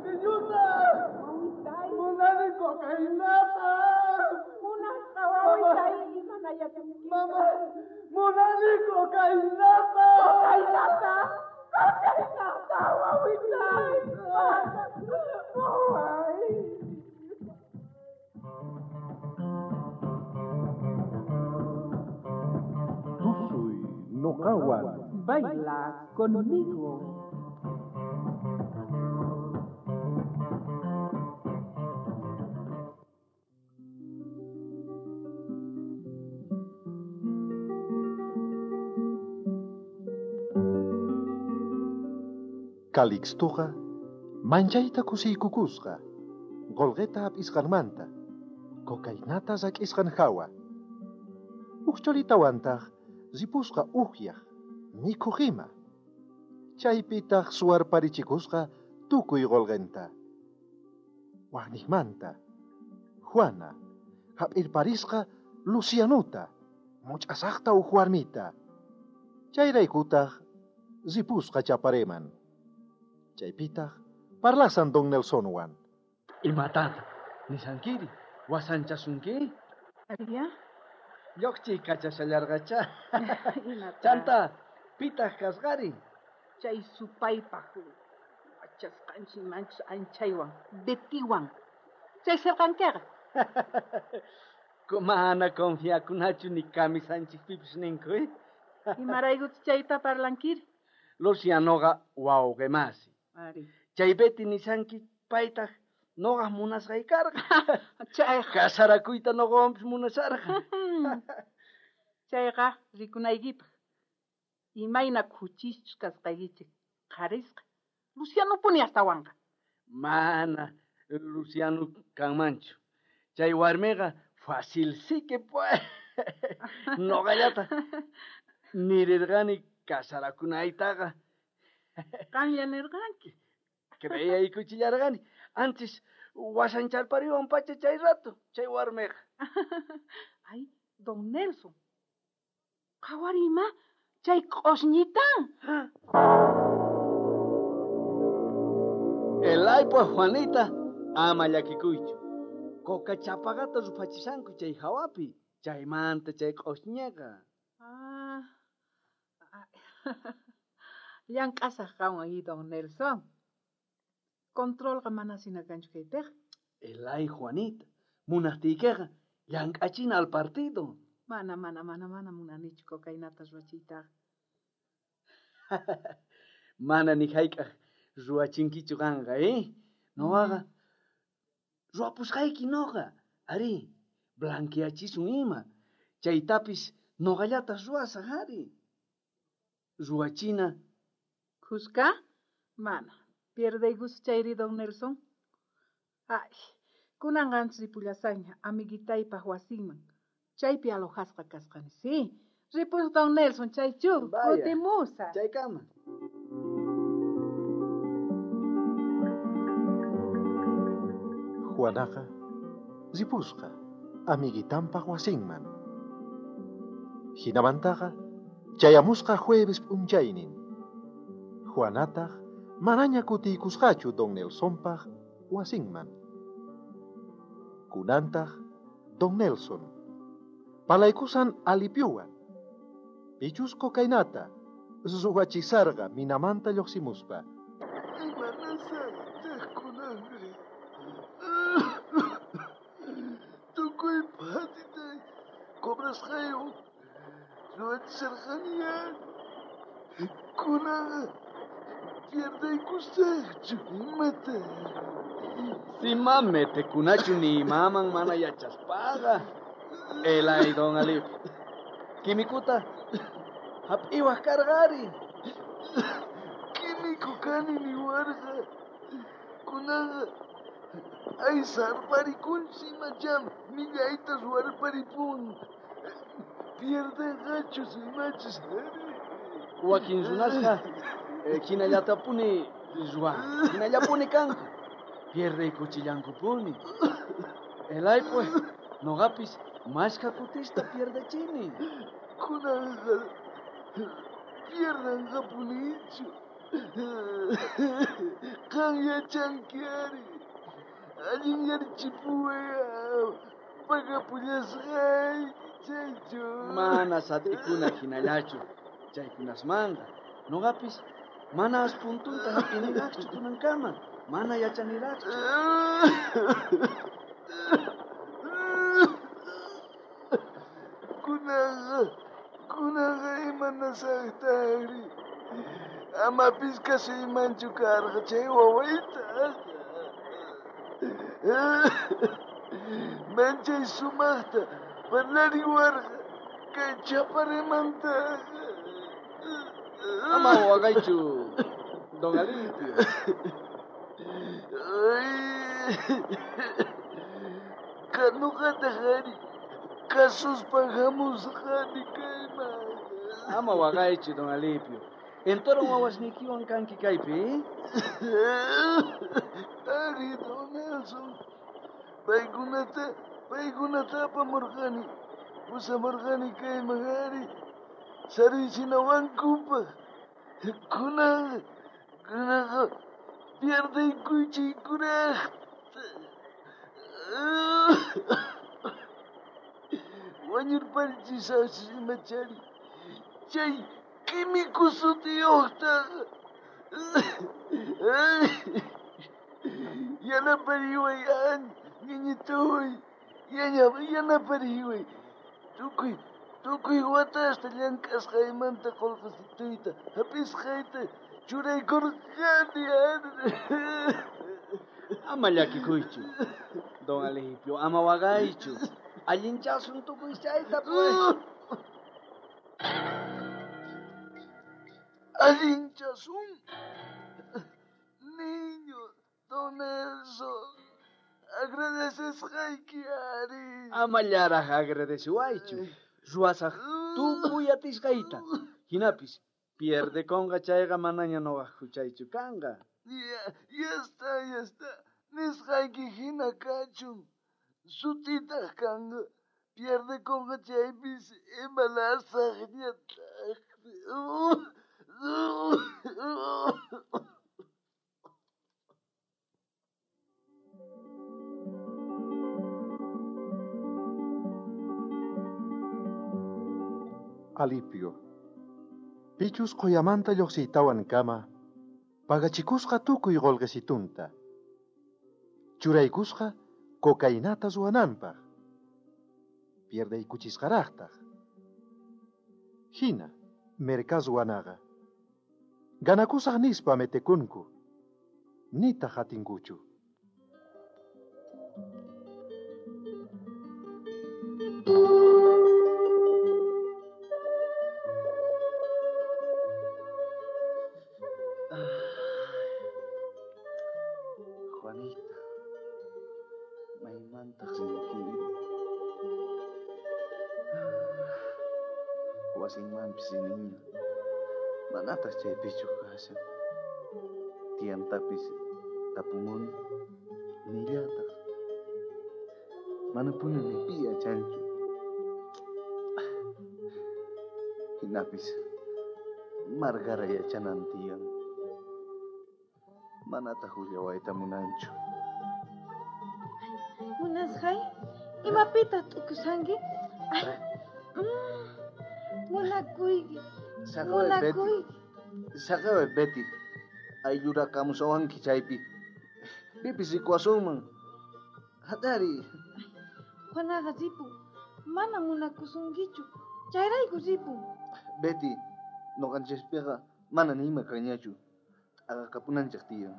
Tiñuta! Wawitay. Munani cocainata! Munasqa wawitay, imanayachunki. Mama, munani cocainata! Cocainata! Cocainata, wawitay! Waway! Tusuy noqawan. Baila conmigo. Calixtoqa manchayta kusiykukusqa qolqeta hap'isqanmanta cocainata rak'isqan hawa. Uj cholitawantaq ripusqa ukyaq mikhuq ima. Chaypitaq suwarparichikusqa tukuy qolqenta. Waqniqmanta Juana hap'irparisqa Lucianuta much'asaqta uj warmita. Chayraykutaq ripusqa Chapareman. Chaypitaq parlasan don Nelsonwan. Imatata, nisankiri, wasanchasunki? Aria? Lluqchiy kachashallarqacha. Imata? Chanta, pitaq kasqari? Chay supaypaq wachasqanchik manchus anchaywan, Bettywan. Chay sirqankiqa. Mana confiakunachu ni kamisanchikpipis ninku, eh? Imaraykuchu chayta parlankiri? Lucianoqa wawqimasi. Ari. Chay Betty nisanki paytaq noqaq munasqay karqa. Chayqa. Kasarakuyta noqawanpis munasharqa. Chayqa rikunaykipaq. Imayna khuchischus kasqaykichik qharisqa. Lucianopuni astawanqa. Mana Luciano kanmanchu. Chay warmiqa facilsique pues. Noqallata nirirqani kasarakunaytaqa. Qanlla nirqanki. Creeyaykuchillarqani. Antes wasancharpariwan pacha chay rato, chay warmiqa. Ay, don Nelson. Qhawarima, chay q'osñita. Elaypa Juanita, ama llakikuychu. Coca chapaqata ruphachisanku chay hawapi, chaymanta chay q'osñiqa. Ah. Llank'asaq qanwan y don Nelson. Controlqa mana sina kanchu kaypiqa. Elay Juanita, munaqtiykiqa llank'achina al partido. Mana, mana, mana, mana munanichu cocainata ruwachiytaqa. Mana ni hayk'aq ruwachinkichu qanqa, eh? Noqaqa ruwapusqayki noqa. Ari, blanqueachisun ima. Chaytapis noqallataq ruwasaq, ari. Ruwachina. Khuska? Mana. Pierdeykus chayri, don Nelson. Ay, kunan qanchis ripullasaqña amiguitaypaq wasinman. Chaypi alojasqa kasqani, sí. Ripus don Nelson, chaychu, Vaya. kutimusaq. Chaykama. Juanaqa ripusqa amiguitanpaq wasinman. Hinamantaqa chayamusqa jueves p'unchaynin. Juanataq manaña kutiykusqachu don Nelsonpaq wasinman. Kunantaq don Nelson palaykusan alipyuwan. Pichus cocainata ruwachisarqa minamanta lluqsimuspa. Imanasaqtaq kunanri? Tukuy phatitay cobrasqaywan ruwachisarqaniña. Kunanqa pierdaykusaqchu imata. Sima metekunachu ni imaman mana yachaspaqa. Elay don Alip. Kimikuta hap'iwaq karqari. Químico kani niwarqa. Kunanqa aysarparikunchis imacham millayta ruwarparipun. Pierdenqachus imachis. Wakin runasqa hinallatapuni ruwan, hinallapuni kanku. Pierdeykuchillankupuni. Elay pues, noqapis mashkha kutista pierdechini. Kunanqa pierdanqapunichu. Qan yachanki ari. Allinyarichipuway pagapullasqayki chaychu. Mana sat'ikuna hinallachu chaykunasmanqa. Noqapis mana aspuntunta hap'iniraqchu kunankama. Mana yachaniraqchu. Kunanqa imanasaqtaqri. Amapis kasuymanchu karqa chay wawaytaqa. Manchay sumaqta parlariwarqa kay chaparimantaqa. Ama waqaychu, don Alipio. Ay, noqataq ari kasuspa hamusqani kayman. Ama waqaychu, don Alipio. Entoron wawasniykiwan kanki kaypi, Ari, don Nelson. Paykunata apamurqani. Pusamurqani kayman ari. Saruychinawankupaq. Kunanqa pierdaykuchay kuraqta. Wañurparichisaqchis imachari. Chay químico sutiyuqtaqa. Yanapariway, ñañituy. Yanapariway. Tukuy watasta llank'asqaymanta qullqisituyta hap'isqayta churaykurqani. Ama llakikuychu, don Alipio, ama waqaychu. Allinchasun tukuy chayta, pues. Allinchasun. Niño, don Nelson, agradecesqayki ari. Amallaraj agradeciwaychu. Ruwasaj tukuy atisqayta. Hinapis pierdekonqa chayqa manaña noqaj huchaychu kanqa. Ya está. Nisqayki hina kachun. Sutitaq kanqa. Pierdekonqa chaypis imalasaqñataq. Alipio. Pichus qoyamanta lluqsiytawan kama, pagachikusqa tukuy qullqisitunta. Churaykusqa cocainata ruwananpaq. Pierdaykuchisqaraqtaq. Hina, merkas ruwanaqa. Ganakusaq nispa metekunku. Nitaq atinkuchu. Juanita, maymantaq rinkiri. Wasinmanpis riniña. Manataq chaypichu kashan. Tiyantapis tapumuni, nillataq. Manapuni ni pi yachanchu. Hinapis Margara yachanan tiyan. Manataq willawayta munanchu. Munasqay, imapitaq t'ukusanki? Munakuyki. Munakuyki. Saqaway, Betty. Ayllurakamusawanki chaypi. Pipis rikuwasunman. Hatari. Juanaqa ripun. Mana munakusunkichu. Chayrayku ripun. Betty, noqanchispiqa mana ni ima kanñachu. T'aqakapunanchik tiyan.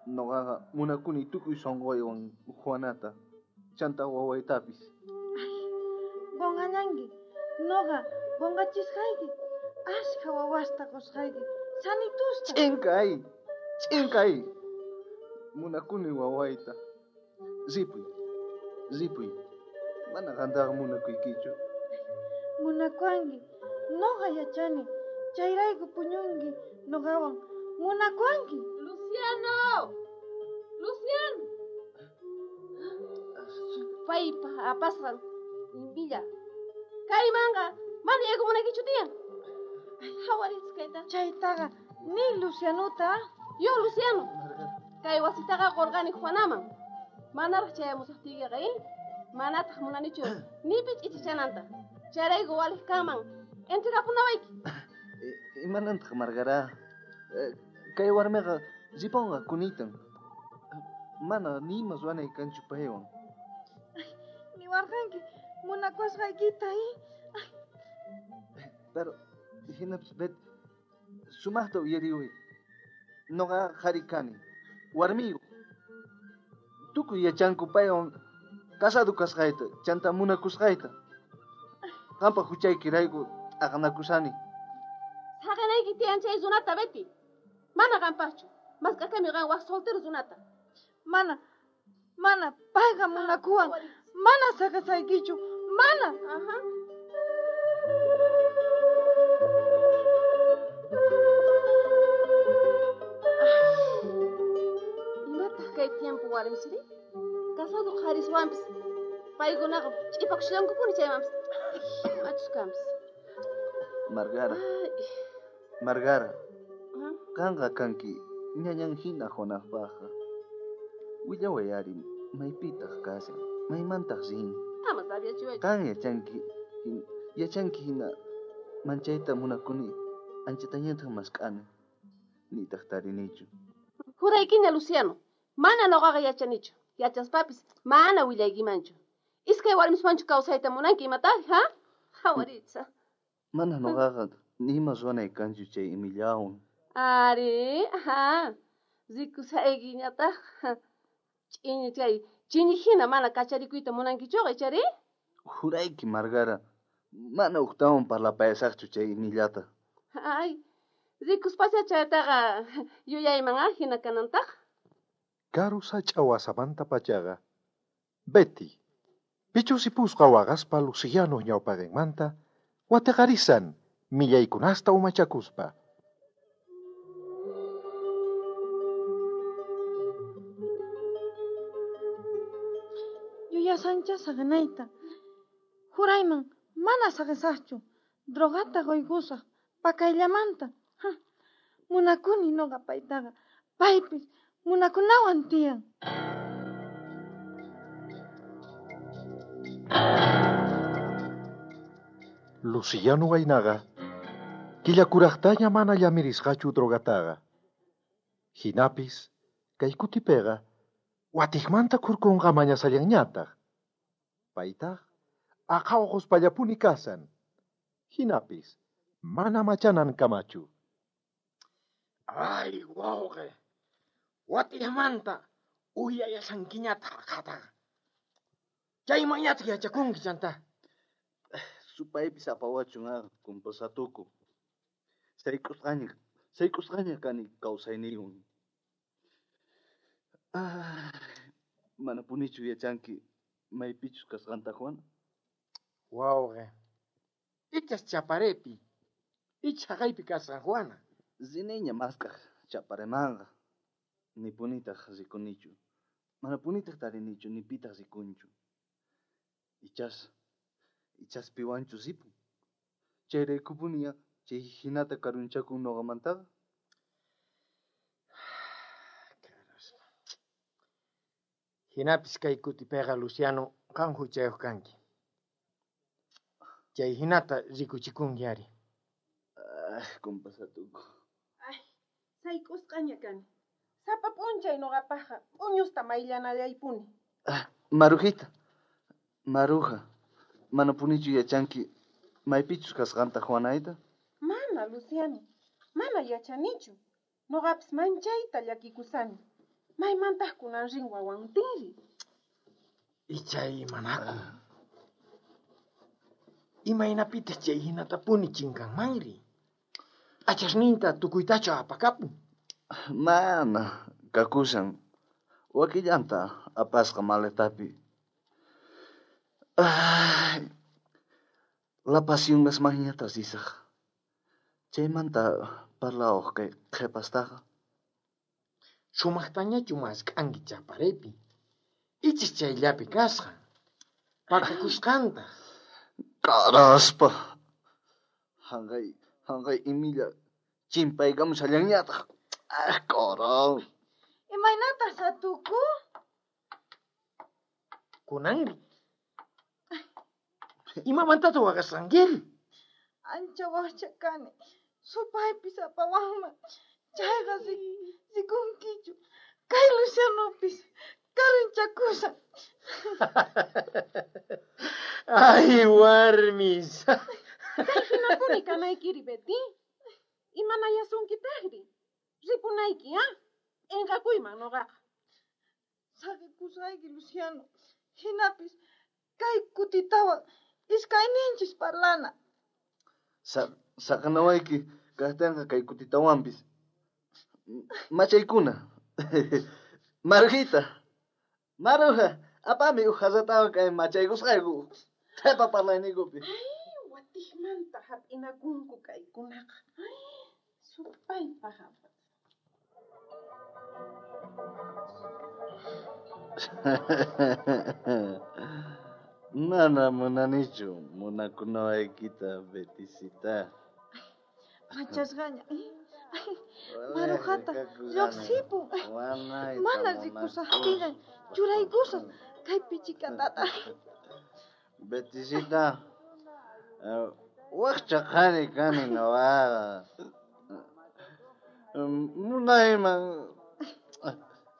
Noqaqa munakuni tukuy sunquywan Juanata, chanta wawaytapis. Qunqallanki. Noqa qunqachisqayki. Ashkha wawasta qusqayki. Sanitusta. Ch'inkay, ch'inkay. Munakuni wawayta. Ripuy, ripuy. Mana qantaqa munakuykichu. Munakuwanki. Noqa yachani. Chayrayku puñunki noqawan. Munakuwanki. Luciano! Luciano! Supaypa apasqan imbilla. Kaymanqa mana yaykumunaykichu tiyan. Hawaritz kayta. Chaytaqa Ni Lucianota. Yo, Luciano. Kay wasitaqa qorqani Juanaman. Manaraq chayamusaqtiykiqa, Manataq munanichu nipi ch'ichichananta. Chayrayku waliq kanman. Entregapunawayki. Imanantaq Margara? Kay warmiqa riponqa kunitan. Mana nima ruwanay kanchu paywan. Niwarqanki munakuwasqaykita, Pero hinapis Bet, sumaqta uyariway. Noqa qhari kani, warmiyuq. Tukuy yachanku paywan casado kasqayta, chanta munakusqayta. Qampa huchaykirayku t'aqanakusani. Saqinayki tiyan chay runata, Betty. Mana qampaqchu. Mask'akami qan waj soltero runata. Mana, mana, payqa munakuwan. Mana saqisaykichu, mana. Ajá. Imataq kay tiempo warmisri? Casado qhariswanpis paykunaqa ch'ipakushallankupuni chaymanpis. Achus kanpis. Margara. Margara. Qanqa kanki ñañan hina Juanapaqqa. Willaway ari, maypitaq kashan, maymantaq rin. Ama sabiachiwaychu. Qan yachanki hina manchayta munakuni, anchatañataq mask'ani, nitaq tarinichu. Juraykiña, Luciano, mana noqaqa yachanichu. Yachaspapis mana willaykimanchu. Iskay warmiswanchu kawsayta munanki imataq, ha? Hawaritza. Mana noqaqa nima ruwanay kanchu chay imillawan. Ari, aha. Rikusaykiñataq. Ch'iñi chay chini hina mana kacharikuyta munankichuqa, ichari? Jurayki, Margara, mana uqtawan parlapayasaqchu chay imillata. Ay, rikuspacha chaytaqa yuyayman hina kanantaq. Karu sach'a wasamanta pachaqa, Betty, pichusipusqa waqaspa Luciano ñawpaqinmanta watiqarisan millaykunasta umachakuspa. Yuyasancha saqinayta. Jurayman mana saqisaqchu. Drogata quykusaq pakayllamanta. Munakuni noqa paytaqa. Paypis munakunawan tiyan. Luciano waynaqa killakuraqtaña mana llamirisqachu drogataqa. Hinapis kay kutipiqa watiqmanta khurkunqa mañasallanñataq. Paytaq aqha uquspallapuni kasan. Hinapis mana machanan kamachu. Ay, wawqi, watiqmanta uyayasankiñataq aqhataqa. Chaymanñataq yachakunki chanta. Supaypis apawachun kumpasatuku. Sayk'usqaña kani kawsayniywan. Manapunichu yachanki maypichus kasqanta, Juan? Wawqi, ichas chaparepi, icha haqaypi kasqan, Juana. Riniña mask'aq chaparemanqa. Nipunitaq rikunichu. Manapunitaq tarinichu, nipitaq rikunchu. Ichas piwanchu ripun. Chayraykupuniya chay hinata karunchakun noqamantaqa. Hinapis kay kutipiqa, Luciano, qan huchayuq kanki. Chay hinata rikuchikunki ari. Ay, kumpasatuku. Ay, sayk'usqaña kani. Sapa p'unchay noqapaqqa p'uñusta mayllanallaypuni. Marujita, Maruja, manapunichu yachanki maypichus kasqanta Juanayta? Mana, Luciano, mana yachanichu. Noqapis manchayta llakikusani. Maymantaq kunan rin wawantinri? Ichay manaku. Imaynapitaq chay hinatapuni chinkanmanri? Achasninta tukuytachu apakapun? Mana, kakushan. Wakillanta apasqa maletapi. Ay, La Pasión risaq. Chaymanta parlawaq kay qhipastaqa. Sumaqtañachu mask'anki chaparepi. Ichis chayllapi kasqa. Pakakusqantaq. Karaspa. Hanqay imilla Chimpaykamushallanñataj. Ah, corón. Imaynataq satuku? Kunanri. Imamantataq waqasqankiri? Ancha wajcha kani. Supaypis apawanman. Chayqa rikunkichu. Kay Lucianopis karunchakushan. Ay, warmis. Kay hinapuni kanaykiri, Betty. Imanayasunkitaqri? Ripunayki, ah? P'inqakuyman noqaqa. Saqikusqayki, Luciano. Hinapis kay kutitawan iskayninchis parlana. Saqanawayki kajtenqa kay kutitawanpis. Machaykuna. Marujita. Maruja, apami uj jarratawan kay machaykusqayku. Qhepa parlayniykupi. Ay, watijmanta hap'inakunku kaykunaqa. Ay, supaypaq apas. Mana munanichu munakunawaykita, Betisita. Machasqaña. Marujata lluqsipun. Mana rikusaqtillan churaykusaq kay pichikatata. Betisita, wajcha qhari kani noqaqa. Munayman.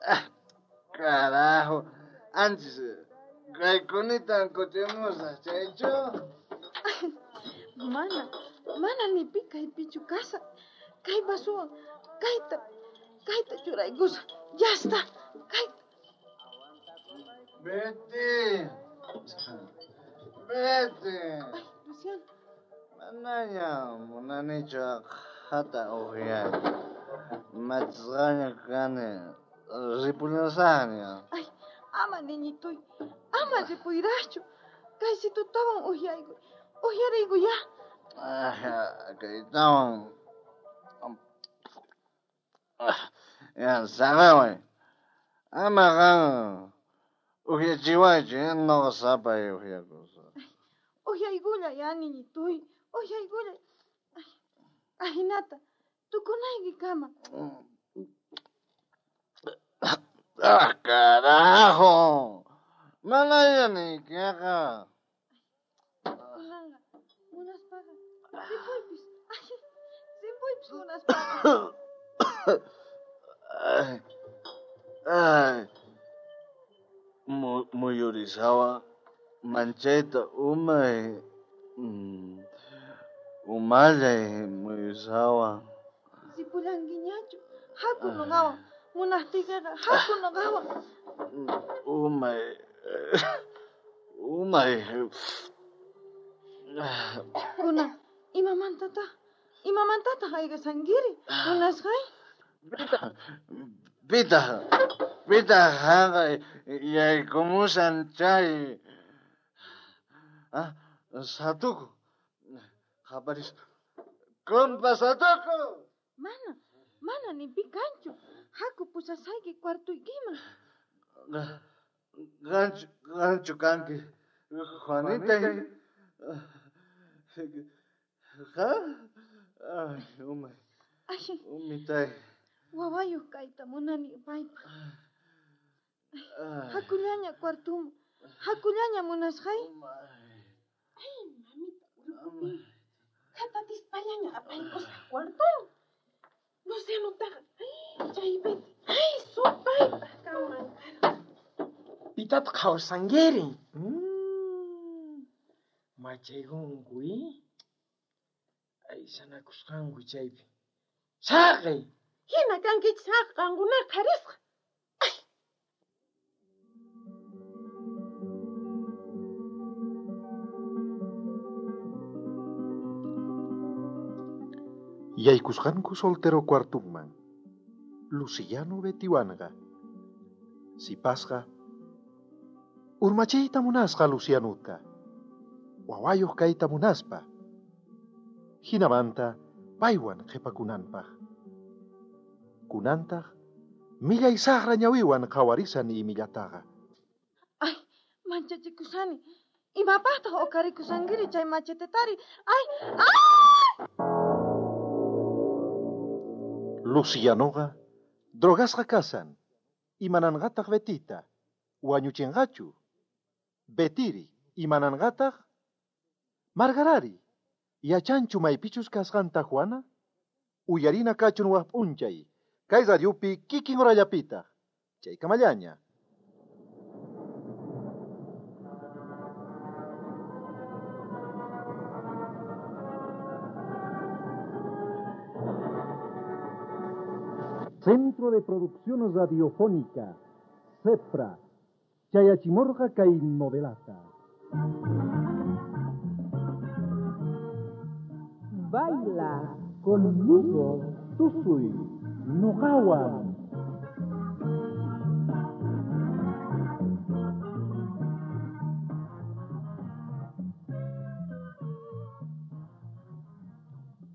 Ah, carajo. Antes, kaykunita kutimusaq, chaychu? Mana ni pi kaypichu kasaq. Kay vasuwan kayta churaykusaq. Ya está. Kayta. Betty. Betty. Ay, Luciano. Manaña munanichu aqhata uqyayta. Machisqaña kani. Ripullasaqña. Ay, ama niñituy. Ama ripuyraqchu. Kaysitutawan uqyaykuy. Uqyariykuya. Ah, kaytawan. Ah, ya, saqaway. Ama qan uqyachiwaychu, noqa sapay uqyakusaq. Uqyaykulla ya, niñituy. Uqyaykulla. Ay, ahinata. Tukunaykikama. Ah, carajo. Manaña niykiqa. Kunanqa munaspaqa ripuypis. Ay, ripuypis munaspaqa. Ay, ay. Muyurisawa manchayta umay. Umallay muyurisawa. Ripullankiñachu. Haku noqawan. Munaqtiykiqa haku noqawan. Umay. Umay. Kunan, imamantataq? Imamantataq ayqishankiri? Munasqay? Pitaq hanqay yaykumushan chay. Ah, Satuku. Qaparis. Compa Satuku. Mana ni pi kanchu. Haku pusasayki cuartuykiman. Ganchu kanki. Juanita. Ha? Ay, umay. Ay. Umitay. Wawayuq kayta munani paypaq. Hakullaña cuartuman. Hakullaña munasqay. Ay, mamita, urqupi. Qhatatispallaña apaykusaq cuartuman. Lucianotaqa, ay, chay Betty, ay, supaypaq kanman karqa. Pitataq qhawashankiri? Machaykunku, Aysanakusqanku chaypi. Saqey! Hina kankichis haq qankunaqa qharisqa. Ay! Yaykusqanku soltero cuartunman. Luciano Bettywanqa. Sipasqa urmachiyta munasqa Lucianuta. Wawayuq kayta munaspa. Hinamanta paywan qhipakunanpaq. Kunantaq millay saqra ñawiwan qhawarisan imillataqa. Ay, manchachikusani. Imapaqtaq uqarikusankiri chay machetetari? Ay, ay! Lucianoqa drogasqa kashan. Imananqataq Betita? Wañuchinqachu? Betiri, imananqataq? Margarari, yachanchu maypichus kasqanta Juana? Uyarina kachun waj p'unchay, kay radiopi kikin horallapitaq. Chaykamallaña. Centro de Producción Radiofónica, CEPRA, Chayachimorga kay novelata. Baila conmigo, tusuy, noqawan.